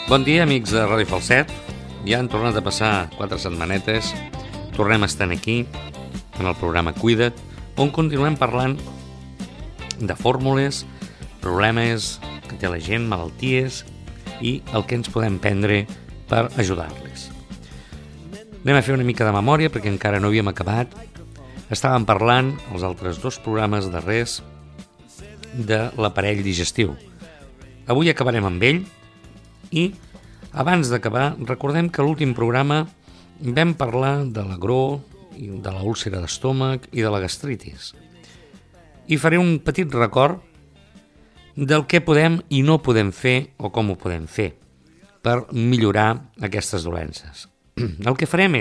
Bon dia, amics de Ràdio Falset. Ja han tornat a passar 4 setmanetes. Tornem a estar aquí, en el programa Cuida't, on continuem parlant de fórmules, problemes que té la gent, malalties i el que ens podem prendre per ajudar-les. Anem a fer una mica de memòria perquè encara no havíem acabat. Estàvem parlant, els altres 2 programes darrers, de l'aparell digestiu. Avui acabarem amb ell i abans d'acabar recordem que a l'últim programa vam parlar de l'agró, de la úlcera d'estómac i de la gastritis. I faré un petit record del què podem i no podem fer o com ho podem fer per millorar aquestes dolences. El que farem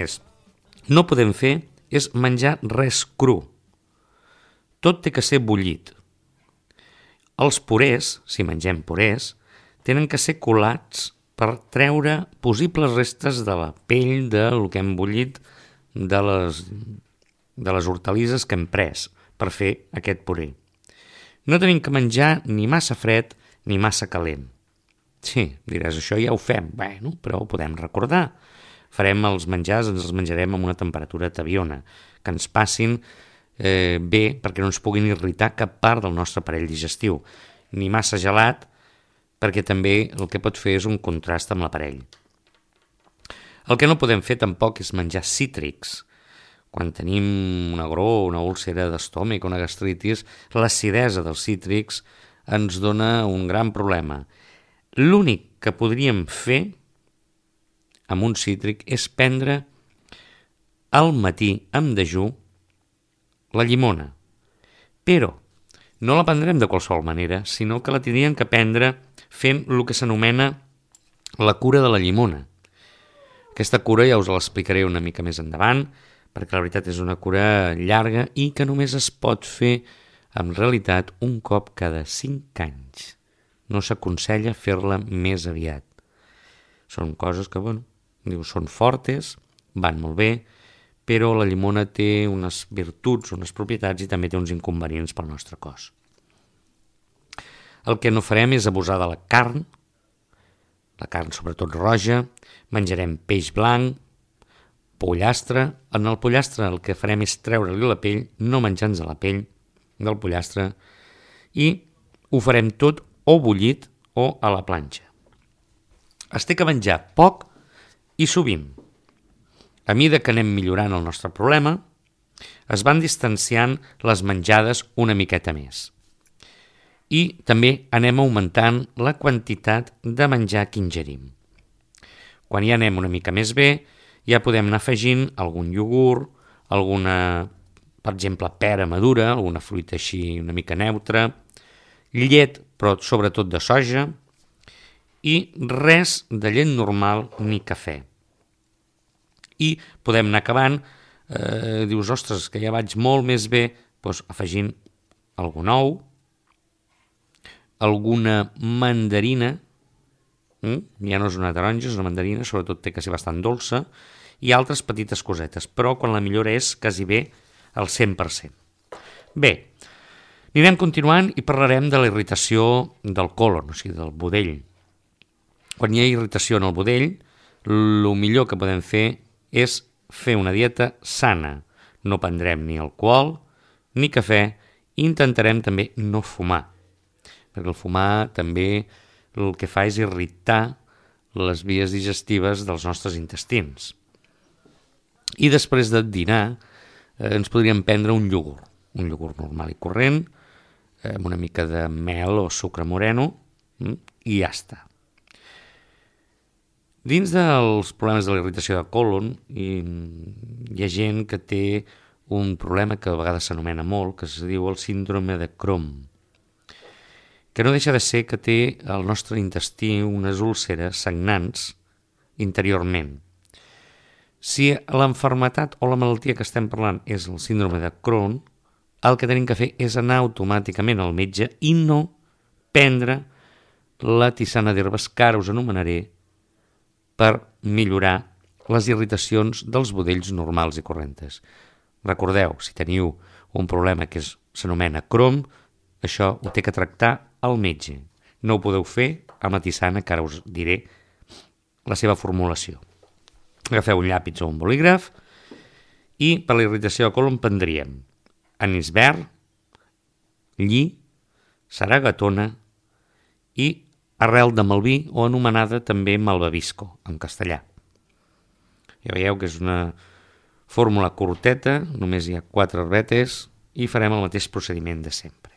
no podem fer és menjar res cru. Tot té que ser bullit. Els purés, si mengem purés, tenen que ser colats per treure possibles restes de la pell del que hem bullit de les hortalisses que hem pres per fer aquest puré. No tenim que menjar ni massa fred ni massa calent. Sí, diràs, això ja ho fem. Bueno, però ho podem recordar. Farem els menjars, ens els menjarem amb una temperatura tabiona, que ens passin bé perquè no ens puguin irritar cap part del nostre aparell digestiu. Ni massa gelat, perquè també el que pot fer és un contrast amb l'aparell. El que no podem fer tampoc és menjar cítrics. Quan tenim un agró, una úlcera d'estómac, una gastritis, l'acidesa dels cítrics ens dona un gran problema. L'únic que podríem fer amb un cítric és prendre al matí amb dejú la llimona. Però no la prendrem de qualsevol manera, sinó que la tindríem que prendre fent el que s'anomena la cura de la llimona. Aquesta cura ja us l'explicaré una mica més endavant, perquè la veritat és una cura llarga i que només es pot fer, en realitat, un cop cada 5 anys. No s'aconsella fer-la més aviat. Són coses que, són fortes, van molt bé, però la llimona té unes virtuts, unes propietats i també té uns inconvenients pel nostre cos. El que no farem és abusar de la carn sobretot roja, menjarem peix blanc, pollastre. En el pollastre el que farem és treure-li la pell, no menjar-nos la pell del pollastre, i ho farem tot o bullit o a la planxa. Es té que menjar poc i sovint. A mesura que anem millorant el nostre problema, es van distanciant les menjades una miqueta més. I també anem augmentant la quantitat de menjar que ingerim. Quan ja anem una mica més bé, ja podem anar afegint algun iogurt, alguna, per exemple, pera madura, alguna fruita així una mica neutra, llet, però sobretot de soja, i res de llet normal ni cafè. I podem anar acabant, dius, ostres, que ja vaig molt més bé, doncs afegint algun ou, alguna mandarina, ja no és una taronja, és una mandarina, sobretot té que ser bastant dolça, i altres petites cosetes, però quan la millora és quasi bé al 100%. Bé, anirem continuant i parlarem de la irritació del colon, o sigui, del budell. Quan hi ha irritació en el budell, el millor que podem fer és fer una dieta sana. No prendrem ni alcohol ni cafè i intentarem també no fumar, perquè el fumar també el que fa és irritar les vies digestives dels nostres intestins. I després de dinar ens podríem prendre un iogurt normal i corrent, amb una mica de mel o sucre moreno, i ja està. Dins dels problemes de la irritació de colon hi ha gent que té un problema que a vegades s'anomena molt, que es diu el síndrome de Crohn, que no deixa de ser que té el nostre intestí unes úlceres sagnants interiorment. Si l'enfermetat o la malaltia que estem parlant és el síndrome de Crohn, el que tenim que fer és anar automàticament al metge i no prendre la tisana d'herbes que ara us anomenaré per millorar les irritacions dels budells normals i corrents. Recordeu, si teniu un problema que s'anomena Crohn, això ho té que tractar el metge. No ho podeu fer amb la tisana, que ara us diré la seva formulació. Agafeu un llapis o un bolígraf i per la irritació de colon prendríem anís verd, lli, saragatona i arrel de malví o anomenada també malvavisco en castellà. Ja veieu que és una fórmula curteta, només hi ha 4 herbetes i farem el mateix procediment de sempre.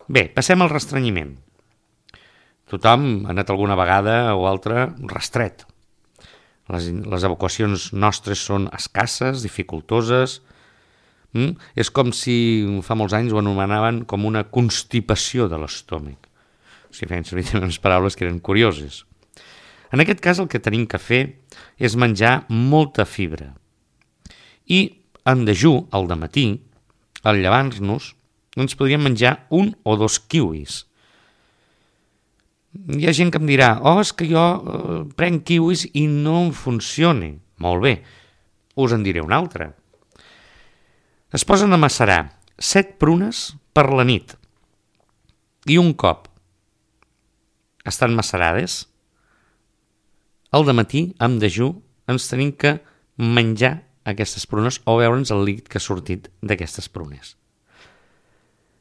Bé, passem al restrenyiment. Tothom ha anat alguna vegada o altra rastret. Les evacuacions nostres són escasses, dificultoses. És com si fa molts anys ho anomenaven com una constipació de l'estómac. O sigui, feien servir unes paraules que eren curioses. En aquest cas el que tenim que fer és menjar molta fibra. I en dejú, al dematí, al llevar-nos, ens podríem menjar 1 o 2 kiwis. Hi ha gent que em dirà, és que jo prenc kiwis i no em funciona. Molt bé, us en diré una altra. Es posen a macerar 7 prunes per la nit i un cop estan macerades, al dematí, amb dejú, ens tenim que menjar aquestes prunes o veure'ns el líquid que ha sortit d'aquestes prunes.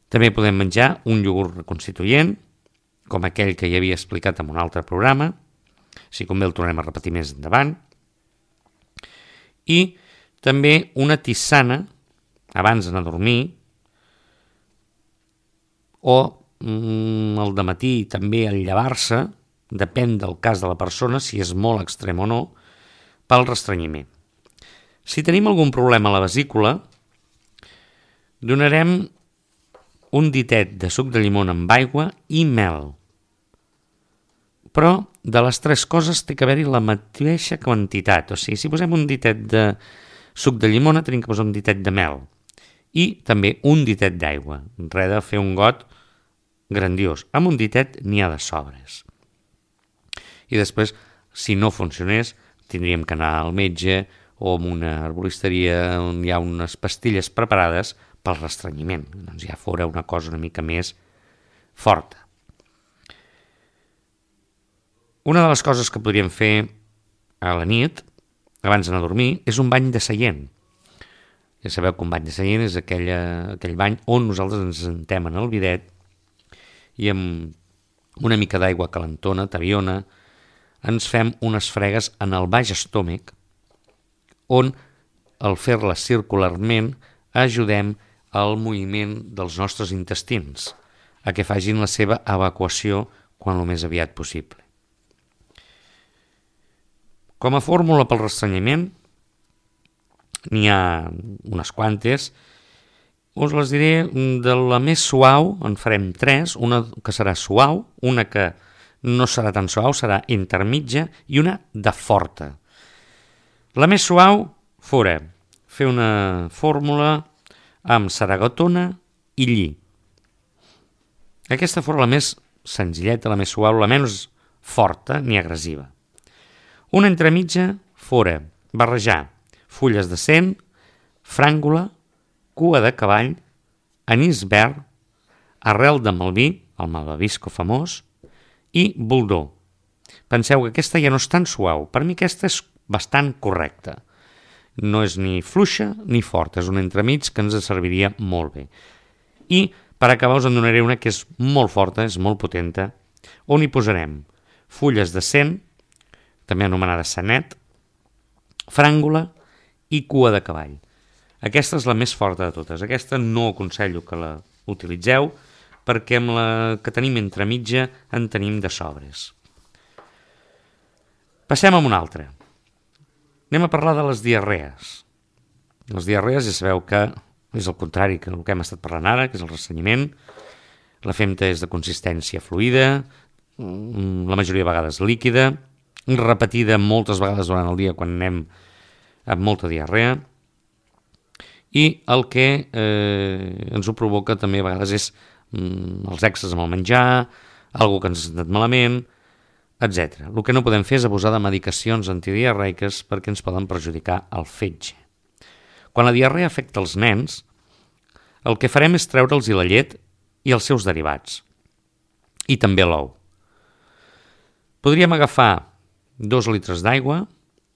També podem menjar un iogurt reconstituent, com aquell que ja havia explicat en un altre programa, si convé el tornem a repetir més endavant, i també una tisana abans d'anar a dormir, o al dematí també al llevar-se, depèn del cas de la persona, si és molt extrem o no, pel restrenyiment. Si tenim algun problema a la vesícula, donarem un ditet de suc de llimona amb aigua i mel. Però de les 3 coses té que haver-hi la mateixa quantitat. O sigui, si posem un ditet de suc de llimona, tenim que posar un ditet de mel. I també un ditet d'aigua. Res de fer un got grandiós. Amb un ditet n'hi ha de sobres. I després, si no funcionés, tindríem que anar al metge o a una herboristeria on hi ha unes pastilles preparades pel restrenyiment. Doncs ja fora una cosa una mica més forta. Una de les coses que podríem fer a la nit, abans d'anar a dormir, és un bany de seient. Ja sabeu que un bany de seient és aquell bany on nosaltres ens sentem en el bidet i amb una mica d'aigua calentona, tabiona, ens fem unes fregues en el baix estómac on, al fer-les circularment, ajudem al moviment dels nostres intestins, a que facin la seva evacuació quan el més aviat possible. Com a fórmula pel restrenyiment, n'hi ha unes quantes. Us les diré de la més suau, en farem 3, una que serà suau, una que no serà tan suau, serà intermitja, i una de forta. La més suau fora fer una fórmula amb saragatona i lli. Aquesta fora la més senzilleta, la més suau, la menys forta ni agressiva. Una entremitja fora barrejar fulles de cent, fràngula, cua de cavall, anís verd, arrel de malví, el malvavisco famós, i boldó. Penseu que aquesta ja no és tan suau. Per mi aquesta és bastant correcta. No és ni fluixa ni forta, és un entremig que ens serviria molt bé. I per acabar us en donaré una que és molt forta, és molt potenta, on hi posarem fulles de cent, també anomenada sanet, fràngula i cua de cavall. Aquesta és la més forta de totes. Aquesta no aconsello que la utilitzeu perquè amb la que tenim entremitja en tenim de sobres. Passem a una altra. Anem a parlar de les diarrees. Les diarrees ja sabeu que és el contrari que el que hem estat parlant ara, que és el restrenyiment. La femta és de consistència fluida, la majoria de vegades líquida, repetida moltes vegades durant el dia quan anem amb molta diarrea, i el que ens ho provoca també a vegades és els excessos amb el menjar, algo que ens ha anat malament, etc. El que no podem fer és abusar de medicacions antidiarreiques perquè ens poden perjudicar el fetge. Quan la diarrea afecta els nens, el que farem és treure'ls la llet i els seus derivats, i també l'ou. Podríem agafar 2 litres d'aigua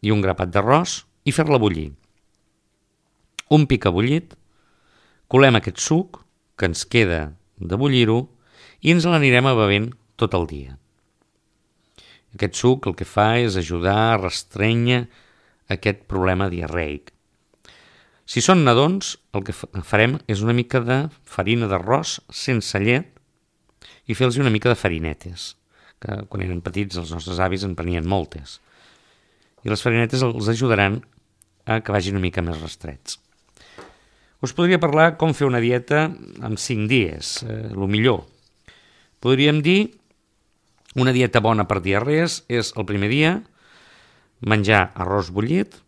i un grapat d'arròs i fer-la bullir. Un pic bullit, colem aquest suc que ens queda de bullir-ho i ens l'anirem a bevent tot el dia. Aquest suc el que fa és ajudar a restrènyer aquest problema diarreic. Si són nadons, el que farem és una mica de farina d'arròs sense llet i fer-los una mica de farinetes, que quan eren petits els nostres avis en prenien moltes. I les farinetes els ajudaran a que vagin una mica més restrets. Us podria parlar com fer una dieta en 5 dies, el millor. Podríem dir una dieta bona per diarrees és el primer dia menjar arròs bullit,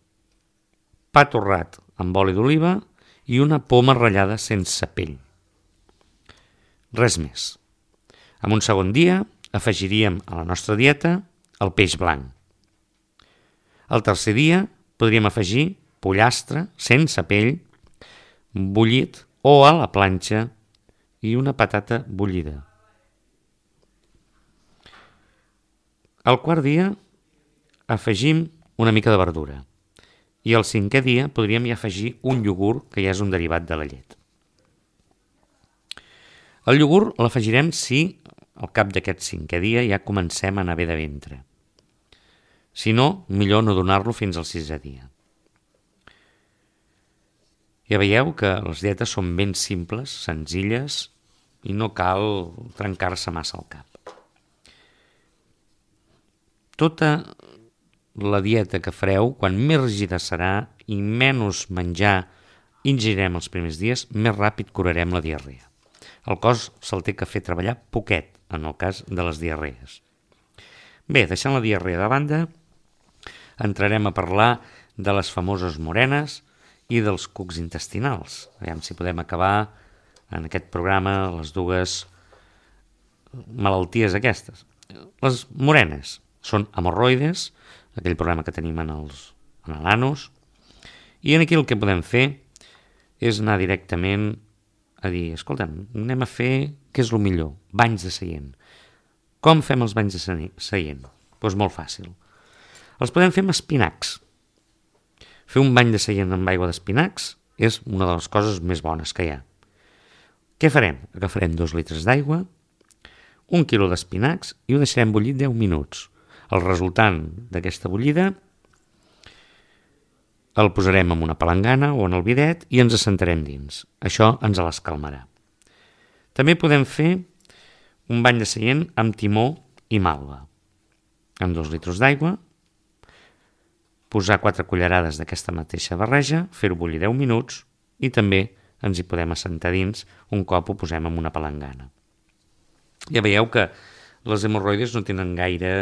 pa torrat amb oli d'oliva i una poma ratllada sense pell. Res més. En un segon dia afegiríem a la nostra dieta el peix blanc. El tercer dia podríem afegir pollastre sense pell, bullit o a la planxa i una patata bullida. Al quart dia afegim una mica de verdura i al 5è dia podríem ja afegir un iogurt que ja és un derivat de la llet. El iogurt l'afegirem si al cap d'aquest 5è dia ja comencem a anar bé de ventre. Si no, millor no donar-lo fins al 6è dia. Ja veieu que les dietes són ben simples, senzilles i no cal trencar-se massa el cap. Tota la dieta que fareu, quan més rígida serà i menys menjar ingerirem els primers dies, més ràpid curarem la diarrea. El cos se'l té que fer treballar poquet, en el cas de les diarrees. Bé, deixant la diarrea de banda, entrarem a parlar de les famoses morenes i dels cucs intestinals. Aviam si podem acabar en aquest programa les dues malalties aquestes. Les morenes són hemorroides, aquell problema que tenim en l'anus, i aquí el que podem fer és anar directament a dir, escolta'm, anem a fer, què és el millor? Banys de seient. Com fem els banys de seient? Doncs molt fàcil. Els podem fer amb espinacs. Fer un bany de seient amb aigua d'espinacs és una de les coses més bones que hi ha. Què farem? Agafarem 2 litres d'aigua, 1 quilo d'espinacs i ho deixarem bullir 10 minuts. El resultant d'aquesta bullida el posarem en una palangana o en el bidet i ens assentarem dins. Això ens l'escalmarà. També podem fer un bany de seient amb timó i malva. Amb 2 litres d'aigua, posar 4 cullerades d'aquesta mateixa barreja, fer-ho bullir 10 minuts i també ens hi podem assentar dins un cop ho posem en una palangana. Ja veieu que les hemorroides no tenen gaire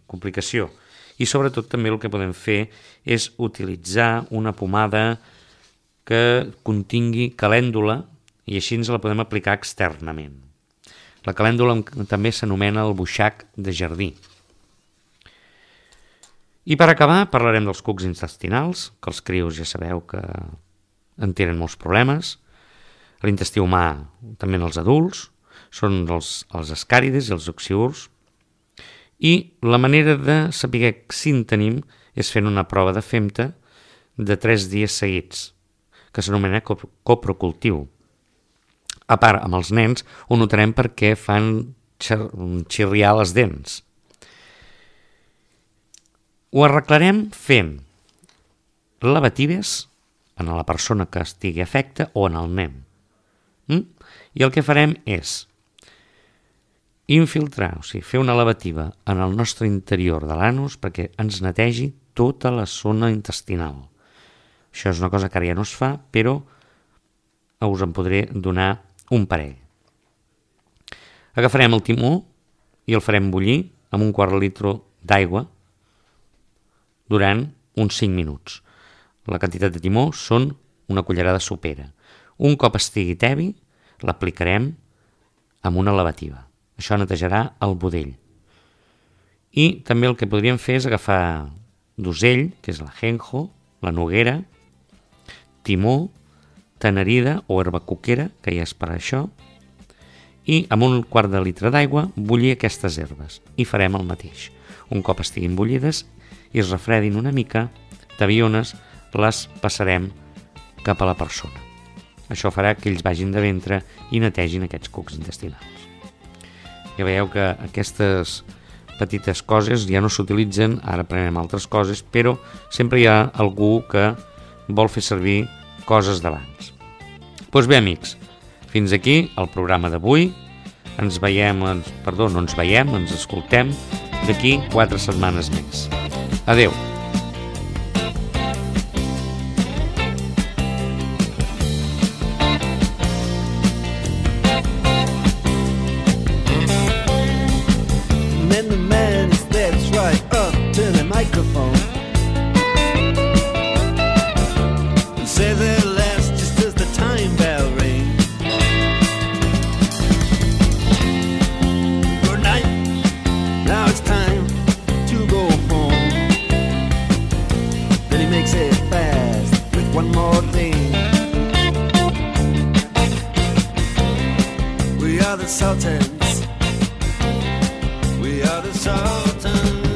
complicació i sobretot també el que podem fer és utilitzar una pomada que contingui calèndula i així ens la podem aplicar externament. La calèndula també s'anomena el buixac de jardí. I per acabar parlarem dels cucs intestinals, que els crios ja sabeu que en tenen molts problemes. L'intestí humà, també en els adults, són els ascàrides i els oxiurs. I la manera de saber si en tenim és fent una prova de FEMTA de 3 dies seguits, que s'anomena coprocultiu. A part, amb els nens ho notarem perquè fan xirriar les dents. Ho arreglarem fent lavatives en la persona que estigui afecta o en el nen. I el que farem és infiltrar, o sigui, fer una lavativa en el nostre interior de l'anus perquè ens netegi tota la zona intestinal. Això és una cosa que ara ja no es fa, però us en podré donar un parell. Agafarem el timó i el farem bullir amb un quart de litre d'aigua durant uns 5 minuts. La quantitat de timó són una cullerada sopera. Un cop estigui tebi, l'aplicarem amb una lavativa. Això netejarà el budell. I també el que podríem fer és agafar d'osell, que és l'ajenjo, la noguera, timó, tenerida o herba cuquera, que ja és per això, i amb un quart de litre d'aigua bullir aquestes herbes i farem el mateix. Un cop estiguin bullides i es refredin una mica, d'aviones les passarem cap a la persona. Això farà que ells vagin de ventre i netegin aquests cucs intestinals. Ja veieu que aquestes petites coses ja no s'utilitzen, ara prenem altres coses, però sempre hi ha algú que vol fer servir coses d'abans. Doncs bé, amics, fins aquí el programa d'avui. Ens escoltem d'aquí 4 setmanes més. Adeu. Then the man steps right up to the microphone and says at last, just as the time bell rings, good night, now it's time to go home. Then he makes it fast with one more thing. We are the Sultans. We are the Sultans.